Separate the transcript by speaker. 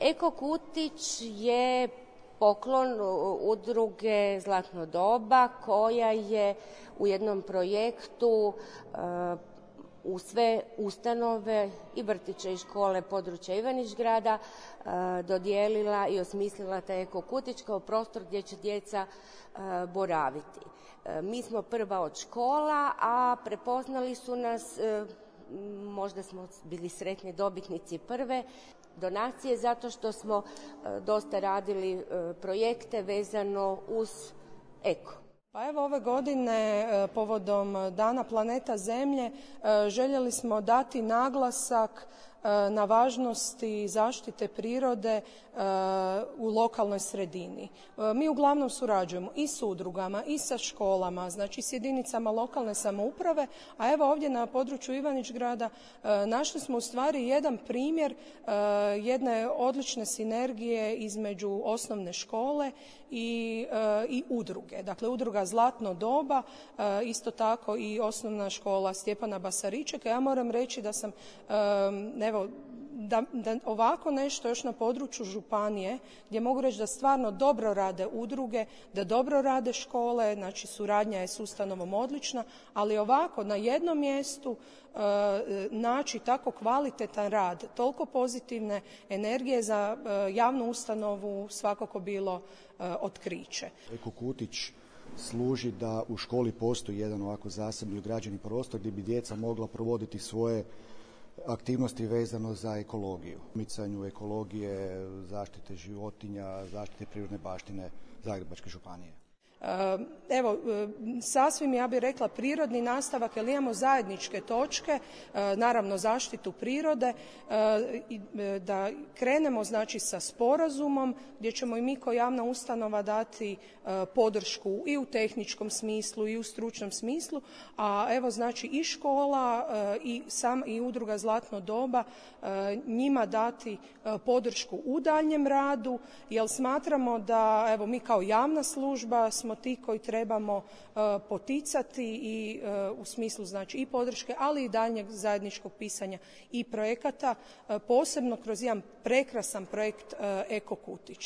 Speaker 1: Eko Kutić je poklon udruge Zlatno doba koja je u jednom projektu u sve ustanove i vrtiće i škole područja Ivanić-Grada dodijelila i osmislila taj Eko Kutić kao prostor gdje će djeca boraviti. Mi smo prva od škola, a prepoznali su nas, možda smo bili sretni dobitnici prve donacije zato što smo dosta radili projekte vezano uz eko.
Speaker 2: Pa evo ove godine povodom Dana planeta Zemlje željeli smo dati naglasak na važnosti zaštite prirode u lokalnoj sredini. Mi uglavnom surađujemo i s udrugama i sa školama, znači s jedinicama lokalne samouprave, a evo ovdje na području Ivanić-Grada našli smo u stvari jedan primjer jedne odlične sinergije između osnovne škole i udruge. Dakle, udruga Zlatno doba, isto tako i osnovna škola Stjepana Basaričeka. Ja moram reći da sam da ovako nešto još na području županije, gdje mogu reći da stvarno dobro rade udruge, da dobro rade škole, znači suradnja je s ustanovom odlična, ali ovako na jednom mjestu naći tako kvalitetan rad, toliko pozitivne energije za javnu ustanovu svakako bilo otkriće.
Speaker 3: Eko Kutić služi da u školi postoji jedan ovako zasebni ugrađeni prostor gdje bi djeca mogla provoditi svoje aktivnosti vezano za ekologiju, micanju ekologije, zaštite životinja, zaštite prirodne baštine Zagrebačke županije.
Speaker 2: Evo, sasvim ja bih rekla prirodni nastavak, jer imamo zajedničke točke, naravno zaštitu prirode, da krenemo znači sa sporazumom gdje ćemo i mi kao javna ustanova dati podršku i u tehničkom smislu i u stručnom smislu, a evo znači i škola i udruga Zlatno doba njima dati podršku u daljnjem radu, jer smatramo da evo mi kao javna služba smo ti koji trebamo poticati i u smislu znači i podrške, ali i daljnjeg zajedničkog pisanja i projekata, posebno kroz jedan prekrasan projekt Eko Kutić.